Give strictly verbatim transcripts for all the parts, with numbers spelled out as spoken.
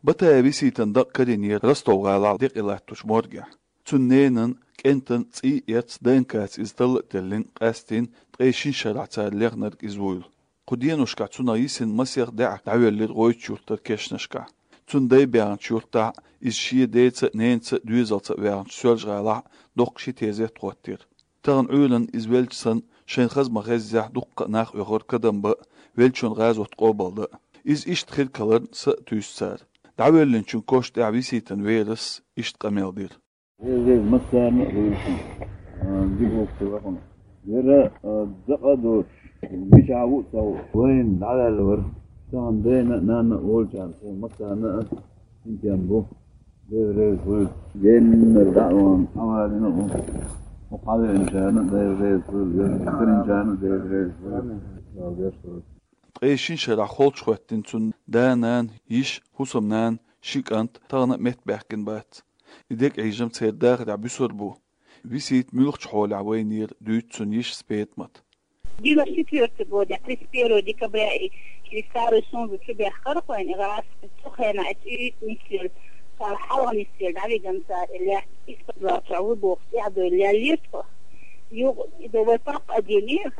Батаева Виситан дакъа карийнера Ростов-гӀалахь декъе латтачу моргехь. Цуьнан ненан, кӀентан цӀий а эцна, ДНК-ца иза талла а теллина, къаьсттина ткъе шина шарахь цара лехнарг иза вуйла. Кху деношкахь цунах йисина масех даьӀахк дӀавоьллира гӀойтучу юьртара кешнашкахь. Цуьнан дай баьхначу юьртахь а, иза шен деца а, ненаца а доьзалца а ваьхначу Соьлжа-ГӀалахь а доккха ши тезет хӀоттийра. Тахана Ӏуьйранна иза велча санна, шайна хаза ма-хеззехь, дуккха а нах оьхура кадам бан а, веллачун гӀазот къобалдан а. Иза иштта хир каларна са а туьйсу цара. ДӀавоьллинчун коша тӀехь Виситан верас иштта къамел дира. Веза-веза массарна а вуйла шуна, а, дика гӀуллакх ду вайна. Яра, а, дакъа а доцуш, мичахь ву а ца хууш, вайна дӀаваьлла вара. Тахана дена а, нанна а волчарна, шайна массарна а синтем бу. Дела реза хуьлда. Геннара дӀа а вахана, хьавалийна а ву. ХӀокху хьавеанчарна а Дела реза хуьлда, карийначарна а Дела реза хуьлда. Ткъе шина шарахь холчухӀоьттина цуьнан да-нана, йиша, хӀусамнана, ши кӀант тахана а меттабаьхкина бац. И дегӀ Ӏийжам церан дахарехь буьсур бу. Висита муьлхачу хьолехь вайнера, дуьйцу цуьнан йишас ПетӀамата. Девяносто четвёртый год, я тридцать первого декабря и через Старую Сунжу чу баьхкара хьуна, и гӀазкхи цу хенахь и цӀуьйтта нисвелла, цара хьалха нисвелла дӀавигна цара и лаьтта, из-под два чохь ву бохуш, тӀаьхьадевлла леллера тхо. Юха и до вай папа а дийна,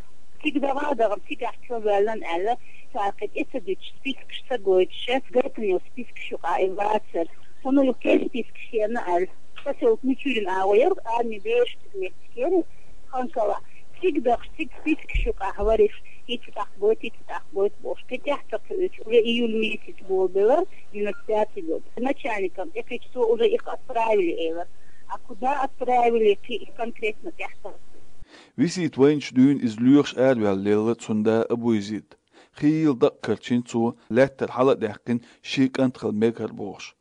цига даха а дахана, цигахь чу ваьллина аьлла, цара кхин тӀе ца дуьтуш, спискаш ца гойтуш, гайтина йолу спискаш юкъахь и вацара. Хьуна юха кхин спискаш хиъна аьлла. Посёлок Мичурин агӀо яра, арми бераш цига меттиг яра, Ханкала. Цига дахча, цига спискаш юкъахь вара иза, хӀинца тӀаккха гойту, хӀинца тӀаккха гойту бохуш. Кхин тӀаьхьа ца кхуьуьйтуш, уже июль месяц болабелира, девяносто пятый год. Начальникам тӀекхуьуш, цо уже их отправили элира. А куда отправили, кхин конкретно тӀаьхьа ца Висита вайначу дуьйна иза лоьхуш араваьлла лелла цуьнан да Абуйзид. Хийла дакъа карчийна цо, лаьттара хьала а даьккхина, шен кӀант хила мега хӀара бохуш.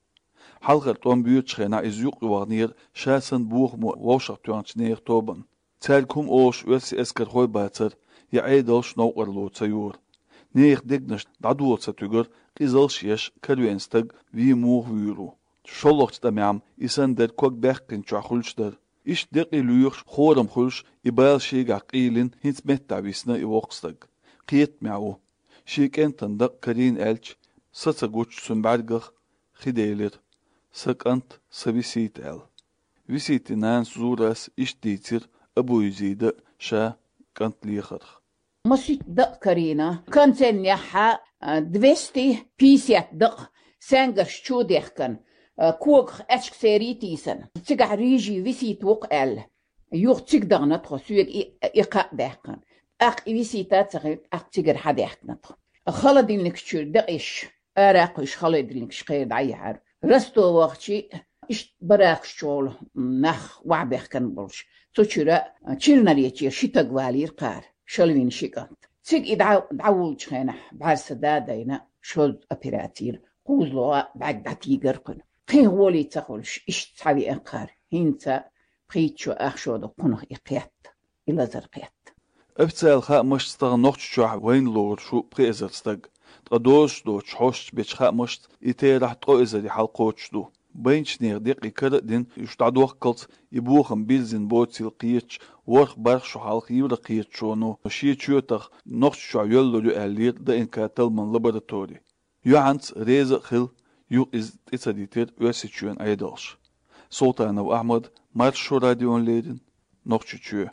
Хьалхара тӀом боьдучу хенахь иза юкъа ваханера ша санна бохамо вовшахтоьхначу нехан тобанна. Цаьрга хӀума олуш оьрсийн эскархой бацара, я Ӏедалш новкъарло ца йора. Нехан дегнаш дӀадола ца туьгура, къизалш а еш, каравеана стаг вен муха вуьйр ву. ШолгӀачу тӀамехь-м и санна дерг ког баьккхинчохь хуьлуш дара. Иштта декъий лоьхуш, хорам хуьлуш, и бала шегахь къийлина, хӀинца меттахь висна и воккха стаг. Кхетамехь ву. Шен кӀентан дакъа карийна аьлча, са ца гучу цуьнан бӀаьргах, хи делира: «Сан кӀант, сан Висита», — аьлла. Виситин нанас Зурас иштта дийцира Абуйзида ша кӀант лехарх. Масийтта дакъа карийна, концернехь а, двести пятьдесят дакъа, саьнгарш чу дехкана, а, когах аьчка серий тийсана. Цигахь рижий Висита ву-кх аьлла. Юха цига дахана тхо, соьга и, и кхаъ даьккхина. ТӀаккха и Висита а ца хилла, тӀаккха цигара хьадаьхкина тхо. Холодильник чуьра дакъеш, ара а кхуьйсуш, холодильникаш кхера дӀаяьхьира. Ростов вахча, иштта баракаш чу волу нах охьабаьхкина болуш, цу чуьра Чилнаречера ши таг валийра кхара, шалвина ши кӀант. Цига и дӀа-, дӀавуллучу хенахь, бӀаьрса да а дайна, шозза операци йира, кхузлагӀа бӀаьрг дӀатийгара кхуьнан. Кхин гӀоле ца хуьлуш, иштта схьавеана кхара, хӀинца пхийтта шо ах шо ду кхунах и кхетта, и лазар кхетта. Официалан хаамашца, тахана Нохчийчохь вайна лоруш ву пхи эзар стаг, ткъа дозуш доцуш хьосташ бечу хаамашца, и терахь ткъа эзаре хьалакхочуш ду. Байначу нехан декъий кара а дина, уьш дӀадохкалц и бохам бирзина боцийла кхеташ, ворхӀ-бархӀ шо хьалха Еврокхеташоно шен чоьтах Нохчийчохь йоьллур ю аьллера ДНК талламан лаборатори. Юьхьанца реза а хилла, юха иза тӀе ца дитира Оьрсийчоьнан Ӏедалша. Султанов Ахьмад, Маршо радиона леррина, Нохчийчоь.